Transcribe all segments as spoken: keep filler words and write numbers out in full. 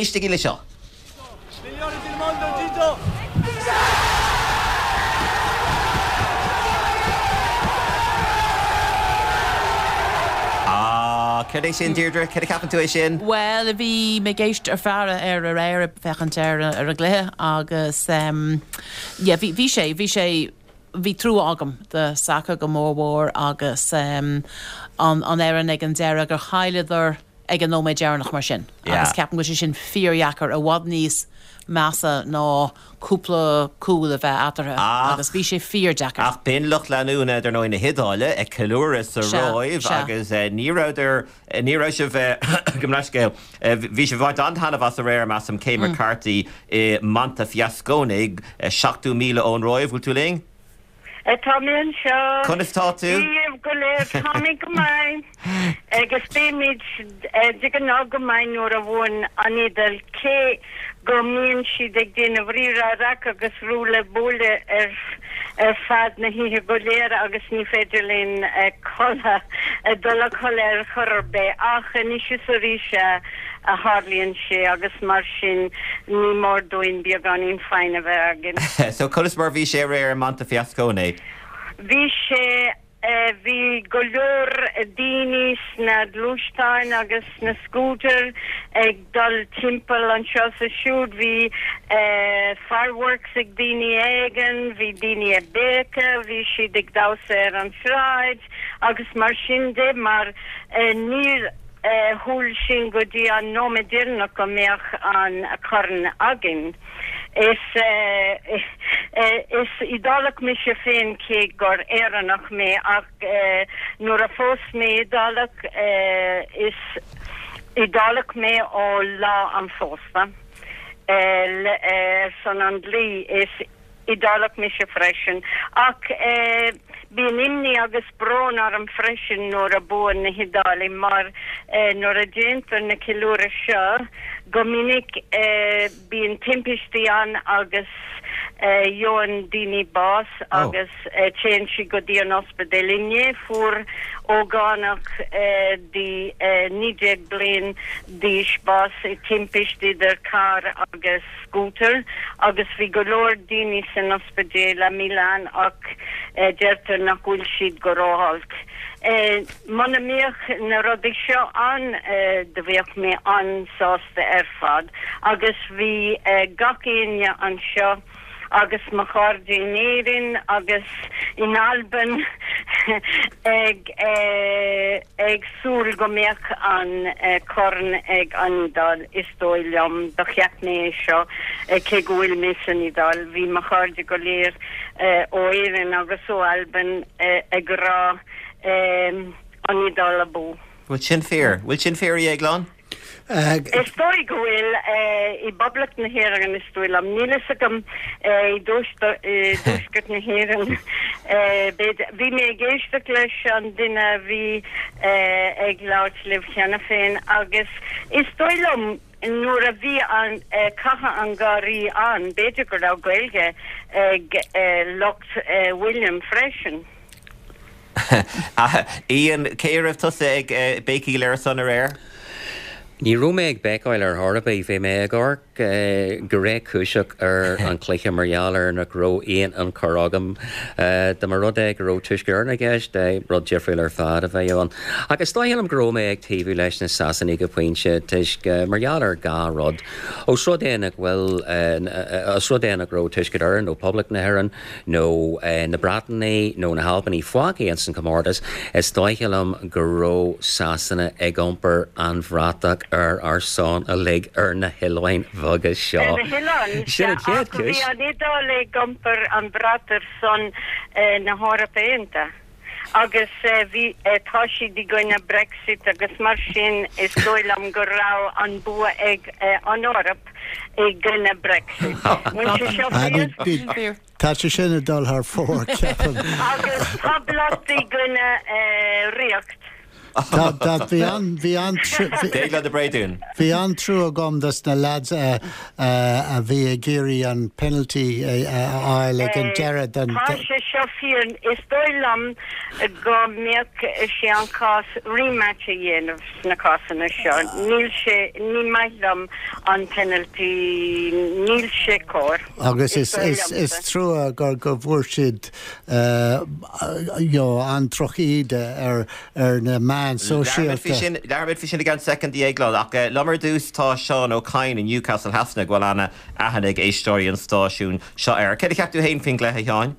Éistigí le seo. Migliore del mondo, Gigio! Ah, céard é sin, Deirdre? Céard a cheapann tú é sin? Bhuel, bhí mé ag éist ar faire ar aréir ag féachaint ar ar an gcluiche agus um, yeah, bhí bhí sé bhí sé bhí trua agam do Saka go mór mhór agus um, an an fhoireann ag an deireadh gur chailleadar ag an nóiméad deireanach mar sin. Yeah. Agus ceapaim go bhfuil sé sin fíordheacair i bhfad níos measa ná cúpla cúl a bheith eatarthu Ach- agus bhí sé fíordheacair. Ach b'in lucht leanúna dar ndóigh na hIodáile ag ceiliúradh sa Sea, Róimh sea. agus eh, ní rabhadar eh, ní raibh sibh eh, go leithscéal eh, bhí sibh ag baint an-taitneamh as aréir measaim Cé Mm. McCarthy i Montefiascone eh, seachtó míle ón Róimh, bhfuil tú linn? Tá mé anseo. Conas tá tú? Dia go léir tá mé go maith. Agus bímid de ghnáth go maith nuair a bhuann an Iodáil cé go mbíonn siad ag déanamh rírá raic agus ruaille buaille ar ar fad na hoíche go léir agus ní féidir linn codladh dul a chodladh ar chor ar bith ach anois is arís a tharlaíonn sé agus mar sin ní mór dúinn beagáinín foighne a bheith againn. So conas mar bhí sé aréir i Montefiascone? Bhí sé eh, bhí go leor daoine sna gluaisteáin agus na scooter ag dul timpeall anseo is ansiúd bhí eh, fireworks ag daoine éigin, bhí daoine ag béiceadh, bhí siad ag damhsa ar an sráid agus mar sin de mar eh, níor eh, shíl sinn go dtí an nóiméad deireanach go mbeadh an corn againn. Is eh, eh, is Iodálach mise féin cé gur Éireannach mé ach eh, nuair a phós mé Iodálach eh, is Iodálach mé ó lá an phósta. Eh, le, eh, son an dlí is Iodálach mise freisin ach eh, bíonn imní agus brón orm freisin nuair a bhuann na hIodálaigh mar eh, nuair a déantar na ceiliúradh seo go minic eh, bíonn timpistí ann agus eh, gheobhann daoine bás Oh. agus eh, téann siad go dtí an ospidéal inné fuair ógánach eh, de eh, naoi déag bliain d'aois bás i timpist idir carr agus scooter agus bhí go leor daoine san ospidéal i Milan ach eh, deirtear nach bhfuil siad go rótholc. Eh, Muna mbeadh na rudaí seo ann eh, do bheadh mé an-sásta ar fad agus bhí eh, gach éinne anseo agus mo chairde in Éirinn agus in Albain ag eh, ag súil go mbeadh an eh, corn ag an Iodáil is dóigh liom do cheap mé é seo eh, cé go bhfuil mé san Iodáil bhí mo chairde go léir eh, ó Éirinn agus ó Albain eh, ag rá eh, an Iodáil abú. Bhfuil sin fíor? Bhfuil sin fíor a Dhéagláin? Is dóigh go bhfuil eh, i bPoblacht na hÉireann is dóigh liom níl a fhios agam eh, i dtuaisceart na hÉireann. Eh, b'fhéidir- Bhí mé ag éisteacht leis an duine a bhí eh, ag labhairt libh cheana féin agus is dóigh liom nuair a bhí an eh, cathadh an Gharraí ann, b'fhéidir go raibh Gaeilge ag eh, lucht eh, William freisin. Ah, Ian cé raibh tusa ag eh, béicíl ar a son aréir? Ní raibh mé ag béicíl ar chor ar bith bhí mé ag amharc eh, go réchúiseach ar an chluiche mar gheall ar nach raibh aon ionchur agam eh, dá mba rud é go raibh Tuaisceart Éireann i gceist eh, rud difriúil ar fad a bheith ann. Agus is dóigh liom go raibh mé ag taobhú leis na Sasanaigh go pointe toisc eh, mar gheall ar dhá rud. Ós rud é nach bhfuil eh, eh, ós rud é nach raibh Tuaisceart Éireann nó Poblacht na hÉireann nó eh, na Breataine nó na hAlban fágtha as an comórtas is dóigh liom go raibh Sasana ag iompar an bhratach ar ár son uilig ar na hoileáin bheaga seo. Ar na hoileáin Sin an chéad ach bhí chúis. an Iodáil ag iompar an bhrat ar son eh, na hEorpa Aontaithe. Agus eh, bhí eh, tá siad i gcoinne Brexit agus mar sin is dóigh liom go raibh an bua ag eh, an Eoraip i gcoinne Brexit. Bhfuil sé seo Ah, ní- fíor? ní- Tá sé sin ag dul thar fóir ceapaim. Agus poblacht i gcoinne eh, ríocht. Tá tá- bhí an bhí an Déagla de Bréadún. Bhí an-trua agam dos na lads eh, eh, a bhí ag iarraidh an penalty eh, a fháil ag an deireadh den Tá sé seo fíor, is dóigh liom go mbeadh sé an cás rematch a dhéanamh sna cásanna seo. Níl sé, ní maith liom an penalty, níl sé cóir. Agus is, is, is trua gur go bhfuair siad you know, an drochíde ar ar na meáin sóisialta. Labhróimid faoi sin i gceann soicind déag ach liom ar dtús tá Seán Ó Cadhain in Newcastle Shasana go bhfuil an-aithne ag éisteoirí an stáisiúin seo air. Céard a cheap tú féin faoin gcluiche, a Sheáin?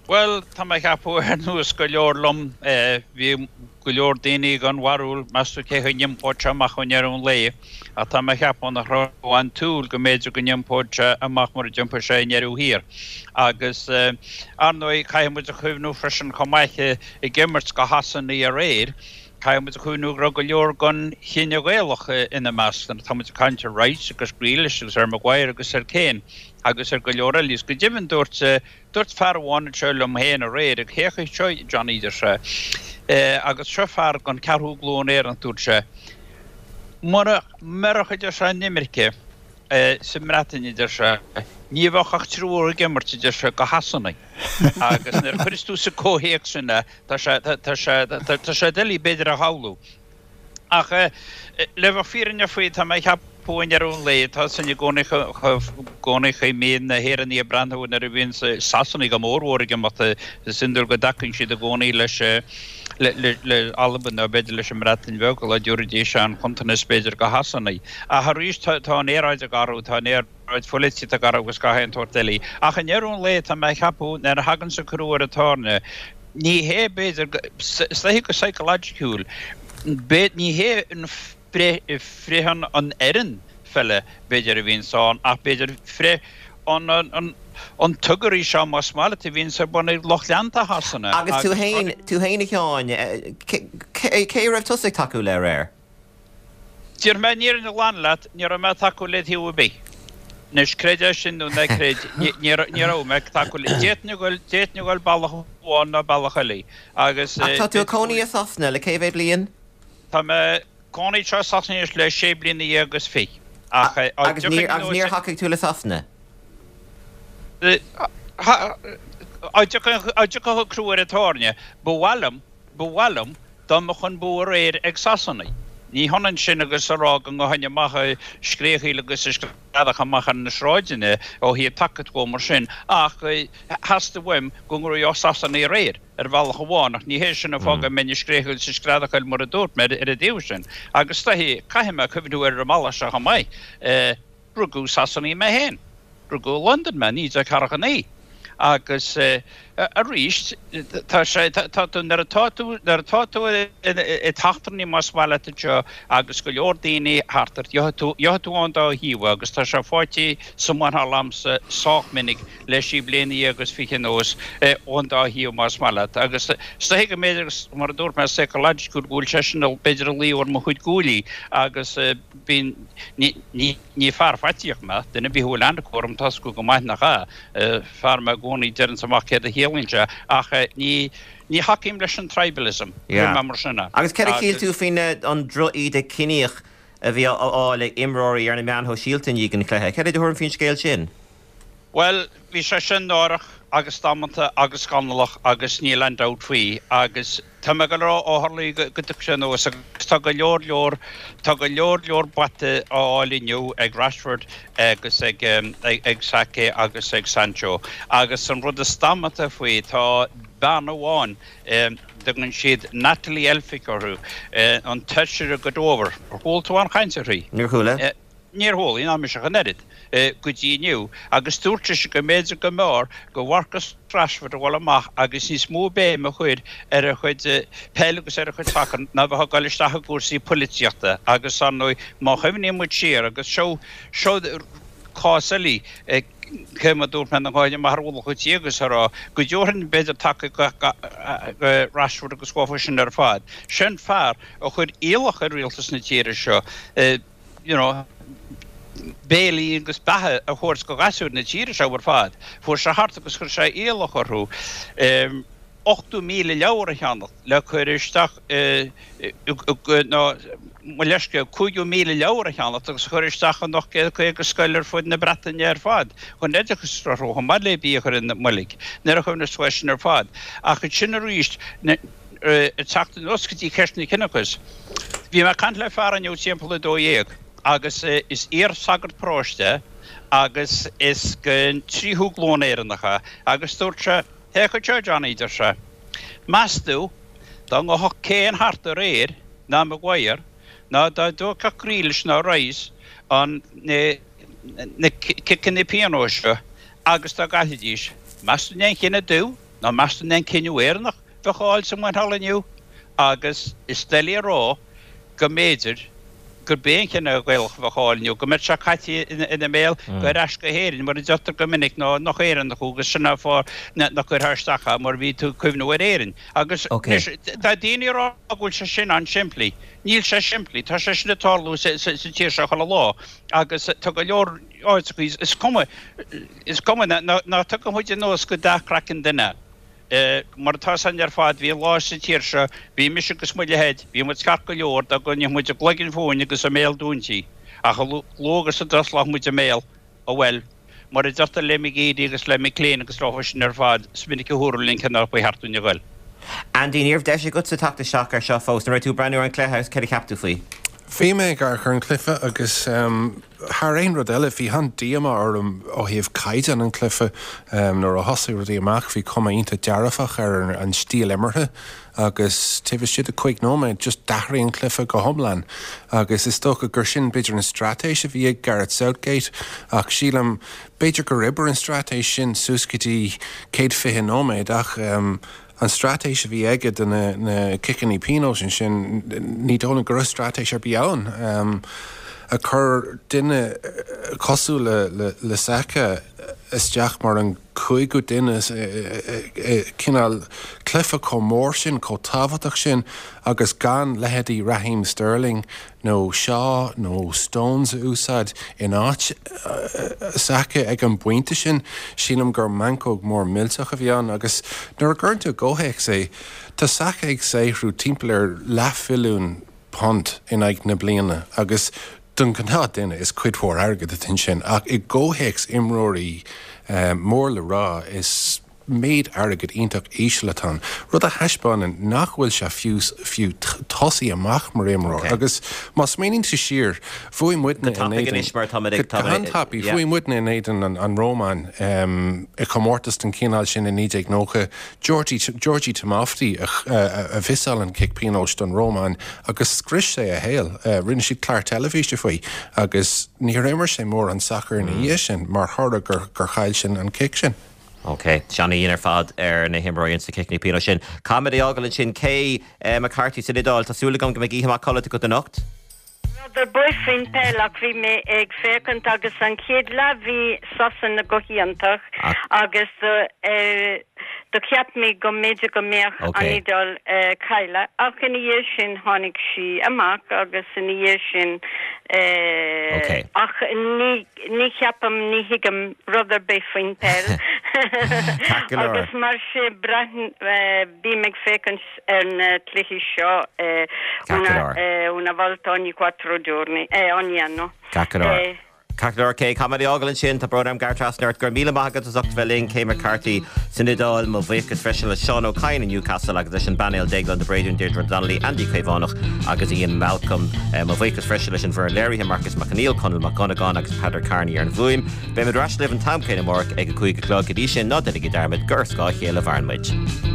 Bhuel, tá mé ag ceapadh ar nós go leor liom, bhí go leor daoine gan bharúil meas tú cé a d'iompódh sé amach i ndeireadh an lae, ach tá mé ag ceapadh nach raibh aon tsúil go mb'fhéidir go n-iompódh sé amach mar a d'iompaigh sé i ndeireadh thiar. Agus, ar ndóigh, caithfidh muid a chuimhniú freisin chomh maith ag imirt go Shasanaigh aréir, caithfidh muid a chuimhniú go raibh go leor den chine Gaelach ina measc, nuair atá muid ag caint ar Rice agus Grealish agus ar Maguire agus ar Kane agus ar go leor eile. Is go deimhin dúirt Dúirt fear amháin anseo liom féin aréir, ag féach seo Johnny, deir sé, agus seo fear den ceathrú glúin Éireannach, dúirt sé, mura mbeadh, a deir sé, an imirce sa mBreatain, a deir sé, ní bheadh ach triúr ag imirt, a deir sé, go Shasanaigh. Agus nuair a chuireas tú sa comhthéacs sin é, tá sé, tá sé, tá sé doiligh b'fhéidir a shamhlú. Ach le bheith fírinneach faoi, tá mé ag ceapadh i ndeireadh an lae, tá sin i gcónaí gcónaí chaoi a mbíonn na hÉireannaigh ag breathnú nuair a bhíonn Sasanaigh go mórmhór ag imeacht, is iondúil go dtacaíonn siad i gcónaí leis le Albain nó b'fhéidir leis an mBreatain Bheag, lá dtabharfaidís an chuntanós b'fhéidir go Shasanaigh. Ach arís tá an aeráid ag athrú, tá an aeráid pholaitíochta ag athrú agus gach aon tsórt eile. Ach i ndeireadh an lae, tá mé ag ceapadh nuair a thagann an crú ar an tairne, ní hé b'fhéidir, is dóiche go psychologically, Ní hé an frith an fhoireann pheile b'fhéidir a bhíonns ann ach b'fhéidir frith an an tuggery seo más maith leat a bhíonns ar bun ag lucht leanta Shasana. Agus tú féin, tú féin a Sheáin, cé a raibh tusa ag tacú le aréir? Déarfaidh mé an fhírinne ghlan leat, ní raibh mé ag tacú le taobh ar bith. Anois, creid é sin nó ná creid, ní raibh mé ag tacú le, d'fhéadfainn a dhul, d'fhéadfainn a dhul bealach amháin nó bealach eile agus. Ach tá tú ag cónaí i Sasana le cé mhéad bliain? Tá mé cónaí anseo i Sasana anois le sé bliana dhéag agus fiche. Ach Agus níor, agus níor thacaigh tú le Sasana? Dá dtiocfadh an crú ar an tairne, ba mhaith liom, ba mhaith liom dá mbeadh an bua aréir ag Sasanaigh. Ní hionann sin agus a rá go ngabhfainn amach ag scréachaíl agus ag screadach amach ar na sráideanna ó thaobh tacaíocht dhó mar sin, ach theastaigh uaim go ngnóthódh Sasanaigh aréir, ar bhealach amháin, ach ní hé sin an fáth go mbeinn ag scréachaíl is ag screadachaíl mar a dúirt mé ar an dtaobh sin. Agus is dóiche, caithfidh mé cuimhniú ar an mbealach seo chomh maith, rugadh i Sasana mé féin. Rugadh i Londain mé, naoi déag ceathracha naoi. Agus arís, tá sé, tá tú, nuair atá tú, nuair atá tú i d'eachtrannaí más maith leat anseo agus go leor daoine thart ort, gheobhaidh tú, gheobhaidh tú ón dá thaobh agus tá sé faighte sa mhuineál a'msa sách minic le sé bliana dhéag agus fiche anuas ón dá thaobh más maith leat. Agus is dóiche go mb'fhéidir, mar a dúirt mé, psychological go bhfuil sé sin b'fhéidir ag luí ar mo chuid guaillí agus bíonn, ní, ní, Ní fear faitíoch mé, duine ar bith a bhfuil aithne acu orm tá 'fhios acu go maith nach ea. Fear mé i gcónaí a deireanns amach céard a shíleann sé, ach ní ní thacaím leis an tribalism, Yeah. cuir mé mar sin é. Agus céard a shíl tú faoin an droch-íde ciníoch a bhí á fháil ag imreoirí ar na meáin shóisialta i ndiaidh an chluiche? Céard é do thuairim faoin scéal sin? Bhuel, bhí sé sin náireach agus damanta agus scannalach agus níl aon dabht faoi agus tá mé ag dul a rá ó tharla go dtiocfaidh sé anuas agus tá go leor leor, tá go leor leor bata á fháil inniu ag Rashford agus ag ag Saka agus ag Sancho agus an rud is damanta faoi tá bean amháin, dtugann siad Natalie Elphicke uirthi, an tFeisire go Dover. Ar chuala tú aon chaint uirthi? Níor chuala. Níor chuala, ná mise ach an oiread, go dtí inniu, agus dúirt sise go mb'fhéidir go mb'fhearr go Mharcus Rashford a dhul amach agus níos mó béime a chur ar a chuid peil agus ar a chuid sacair ná bheith ag dul isteach i gcúrsaí poilitíochta agus ar ndóigh má chuimhníonn muid siar agus seo seo cás eile cé mar dúirt mé nach ngabhfainn amach ar mhullach an tí agus a rá go dtabharfainn b'fhéidir tacaíocht go Rashford agus dhófa sin ar fad. Sin fear a chuir iallach ar rialtas na tíre seo you know, béilí agus beatha a thabhairt go ghasúir na tíre seo ar fad. Fuair sé thart agus chuir sé iallach orthu. ochtó míle leabhar a cheannacht le cur isteach nó mo leithscéal, cúigiú míle leabhar a cheannacht agus a chur isteach in ocht gcéad caoga scoil ar fud na Breataine ar fad chun oideachas a sholáthar chomh maith le bia a chur ina mboilg. Nuair a chuimhneos tú air sin ar fad. Ach ansin arís, ag teacht anuas go dtí ceist an chiníochais, bhí mé ag caint le fear inniu timpeall a dó dhéag agus is iar-shagart paróiste é agus is den tríú glúin Éireannach é agus dúirt sé, Féach anseo, Johnny, deir sé, meas tú dá ngabhfadh Kane thart aréir, ná Maguire, ná dá dtógfadh Grealish ná Rice an na ciceanna pionóis seo agus dá gcaillfidís, meas tú an é an cinneadh dubh nó meas tú an é an cinneadh Éireannach bheadh á fháil sa mhuinchille inniu? Agus is doiligh a rá go mb'fhéidir gurb é an cinneadh Gaelach a bheadh á fháil inniu, go mbeadh sé caite ina mbéal go ar ais go hÉirinn, mar a deirtear go minic, ná nach Éireannach thú agus sin an fáth nach gcuirfeá isteach é mar bhí tú ag cuimhniú ar Éirinn. Agus anois, tá daoine ag rá go bhfuil sé sin an-simplí. Níl sé simplí. Tá sé sin ag tarlú sa tír seo chuile lá agus tá go leor áiteacha, is cuma, is cuma, ná tugann muid anuas go dath craiceann duine. Mar atá a fhios againn ar fad, bhí lá sa tír seo, bhí mise agus mo leithéid, bhí muid ceart go leor dá gcoinneodh muid a gcloigeann fúinn agus a mbéal dúinte, ach a luaithe agus a d'osclódh muid a mbéal, ó bhuel, mar a deirtear le McGeady agus le McClean agus leo sin ar fad, is minic a dúradh linn cé nár ba cheart dúinn a ghoil. Andy, ní raibh deis agatsa teacht isteach air seo fós. An raibh tú ag breathnú ar an chluiche agus céard a cheap tú faoi? Bhí mé ag amharc ar an chluiche agus thar aon rud eile bhí an-díomá orm ó thaobh caighdeán an chluiche. Nuair a thosaigh rudaí amach bhí cuma iontach dearfach ar an stíl imeartha agus taobh istigh de cúig nóiméad just d'athraigh an cluiche go hiomlán agus is dócha gur sin b'fhéidir an straitéis a bhí ag Gareth Southgate ach sílim b'fhéidir gur oibrigh an straitéis sin suas go dtí céad fiche nóiméad ach An straitéis a bhí aige do na ciceanna pionóis ansin, ní dóigh liom go raibh straitéis ar bith ann. Ag cur duine cosúil le Saka isteach mar an cúigiú duine i cineál cluiche chomh mór sin, chomh tábhachtach sin agus gan leithéidí Raheem Sterling nó Shaw nó Stones a úsáid in áit Saka ag an bpointe sin, sílim gur meancóg mór millteach a bhí ann agus nuair a gcuireann tú i gcomhthéacs é, tá Saka ag saothrú timpeall ar leathmhilliún punt in aghaidh na bliana agus don ghnáth duine is cuid mhór airgid atá ansin ach i gcomhthéacs imreoirí mór le rá is méid airgid iontach íseal atá ann, rud a thaispeánann nach bhfuil sé fiú fiú tosaí amach mar imreoir. Agus má smaoiníonn tú siar, bhuaigh muidne in éadan, go han-tapaidh, bhuaigh muidne in éadan an Rómáin i chomórtas den chineál sin i naoi déag nócha, Georgi Georgi Timofti a a mhiossáil an cic pionóis don Rómáin agus scrios sé a shaol. Rinne siad clár teilifíse faoi agus níor imir sé mórán sacair ina dhiaidh sin mar thoradh gur gur chaill sé an cic sin. Ok, ana-dhian ar fad ar na himreoirí ins na ciceanna pionóis sin. Caithfimid é a fhágáil ansin. Kay McCarthy san Iodáil, tá súil agam go mbeidh oíche mhaith codlata agat anocht. Rud ar bith faoin peil ach bhí mé ag féachaint agus an chéad leath bhí Sasana go hiontach agus do cheap mé go mb'fhéidir go mbeadh an Iodáil cailleadh ach ina dhiaidh sin tháinig sí amach agus ina dhiaidh sin ach ní Ní cheapaim, ní thuigim rud ar bith faoin peil agus mar sin bím ag féachaint ar na cluichí seo una una volta ogni quattro giorni, ogni anno. Ceart go leor. Ceart go leor, Kay, caithfimid é a fhágáil ansin, tá brón orm gearradh trasna ort. Go raibh míle maith agat as ucht a bheith linn, Kay McCarthy san Iodáil. Mo bhuíochas freisin le Seán Ó Cadhain i Newcastle agus leis an bpainéal Déaglán de Bréadún, Deirdre Donnelly, Andy Caomhánach agus Ian Malcolm. Mo bhuíochas freisin leis an bhfoireann léirithe, Marcus Mac Conghail, Conall Mac Dhonnagáin agus Peadar Kearney ar an bhfuaim. Beimid ar ais libh an t-am céanna amárach ag a cúig a chlog. Go dtí sin, ná déanaigí dearmad gur ar scáth a chéile a mhaireann muid.